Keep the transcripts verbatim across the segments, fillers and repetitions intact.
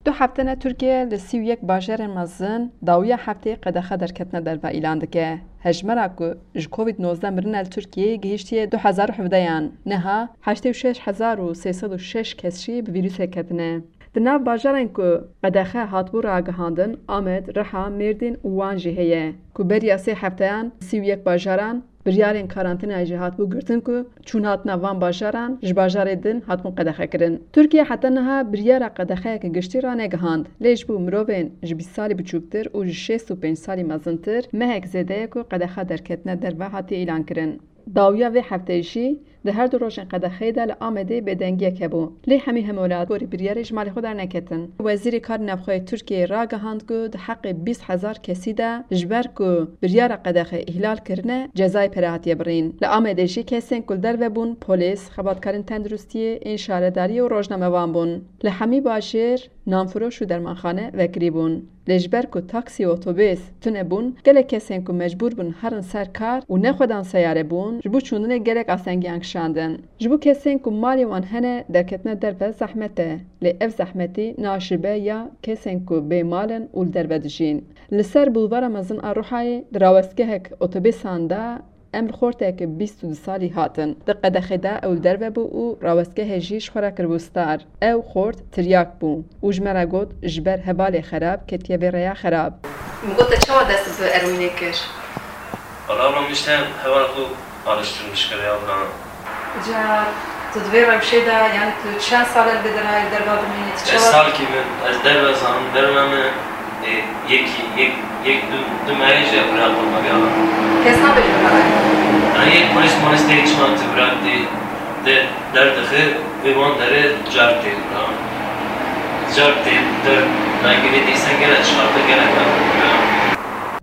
Du hefte ne Tirkiye li sî û yek bajarên mezin dawiya hefteyê qedexe derketina derve îlan dike. Hejmara ku ji Covid nozdeh mirine li Tirkiyeyê gihîştiye du hezar û hevdeyan. Niha heştê û şeş hezar û sê sed û şeş kes jî bi vîrusê ketine. Di nav bajarên ku qedexe hatibû ragihandin, Amed, Riha, Mêrdîn û Wan jî heye, ku beriya sê hefteyan sî û yek bajaran biryarên karantînayê jî hatibû girtin ku çûnhatina van bajaran ji bajarê din hatibûn qedexekirin. Tirkiye heta niha biryara qedexeyeke giştî ranegihand, lê ji bo mirovên ji bîst salî biçûktir û ji şêst û pênc salî mezintir mehek zêde ye ku qedexa derketina derve hatiye îlankirin. Dawiya vê hefteyê jî di her du rojên qedexeyê de li Amedê bêdengiyek hebû. Lê hemî hemwelatgorî biryarê ji malê xwe derneketin. Wezîrê Karê Navxwe yê Tirkiyeyê ragihand ku di heqê bîst hezar kesî de, ji ber ku biryara qedexe îhlal kirine, cezayê pere hatiye birîn. Li Amedê jî kesên ku li derve bûn, polîs, xebatkarên tenduristiyê, ên şaredariyê û rojnamevan bûn. Li hemî bajêr nanfiroş û dermanxane vekirî bûn. Lê ji ber ku taksî û otobês tune bûn, gelek kesên ku mecbûr bûn herin ser kar û nexwedan seyare bûn, ji bo çûndinê gelek astengiyan kişandin. Ji bo kesên ku malê wan hene, derketina derve zehmet e. Lê ev zehmetî naşibe ya kesên ku bê mal in û li derve dijîn. Li ser bulvara mezin a Ruhayê di rawestgehek otobêsan de Em li xorteke bîst û du salî hatin. Di qedexê de ew li derve bû û rawestgehê jî ji xwe re kiribû star. Ew xort tiryak bû û ji me re got, ji ber hevalê xerab ketiye vê rêya xerab. Min got, te çawa dest bi eroînê kir? Valla ablam, işte heval xwe alıştırmış kere ablam. Ca tu di vê rewşê de, yani tu çend sal e li vê derayê derva dimînî? Tu çawa? Ez salkî min, ez derve zanim, derve min, e, yekî, yek, yek, du, du mehê jî bira xwe me gava. Kes nabêje bira. Yani yek polis molis tê çima tu bira tê, de, derdixe, vê wan derê car tê bira. Car tê, der, nagirê dîsen gele çixarte, gele bira.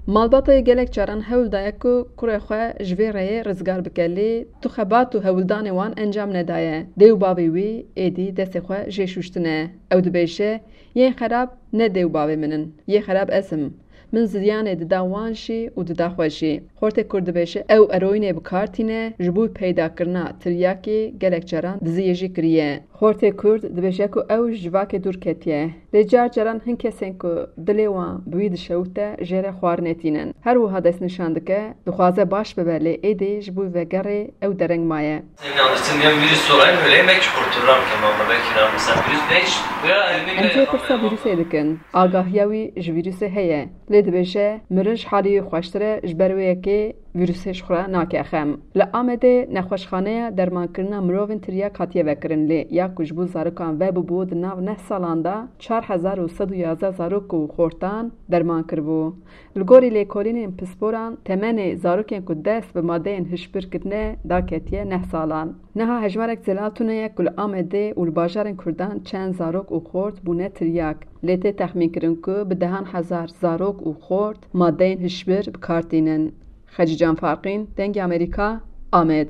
Malbata yê gelek caran hewl daye ku kurê xwe ji vê rêyê rizgar bike, lê tu xebat û hewldanê wan encam nedaye. Dê û bavê wî êdî destê xwe jê şûştine. Ew dibêje, yên xerab ne dê û bavê min in, yê xerab ez im. Min ziyanê dida wan jî û dida xwe jî. Xortê Kurd dibêje, ew eroînê bi kar tîne, ji bo peydakirina tiryakê gelek caran diziyê jî kiriye. Xortê Kurd dibêje ku ew ji civakê dûr ketiye. Lê car caran hin kesên ku dilê wan bi wî dişewite jê re xwarinê tînin. Her wiha destnîşan dike, dixwaze baş bibe, lê êdî ji bo vegerê ew dereng maye. Seni alıştırmayan virüs olayım, öyle yemek kurtulan kemama belki de mesela virüs beş veya elimi Em bile jê pirsa yapamıyorum. Vîrusê dikin. Agahiya wî ji vîrusê heye. Lê dibêje, mirin ji halê wî xweştir e, ji ber wê yekê vîrusê ji xwe nake xem. Li Amedê nexweşxaneya dermankirina mirovên tiryak hatiye vekirin, lê ya ku ji bo zarokan vebûbû, di nav neh salan de çar hezar û sed û yazdeh zarok û xortan derman kiribû. Li gorî lêkolînên pisporan, temenê zarokên ku dest bi madeyên hişbir kirine daketiye neh salan. Niha hejmarek zelal tune ye ku li Amedê û li bajarên Kurdan çend zarok û xort bûne tiryak. Lê tê texmînkirin ku bi dehan hezar zarok û xort madeyên hişbir bi kar tînin. Xecîcan Farqîn, Dengê Amerîka, Amed.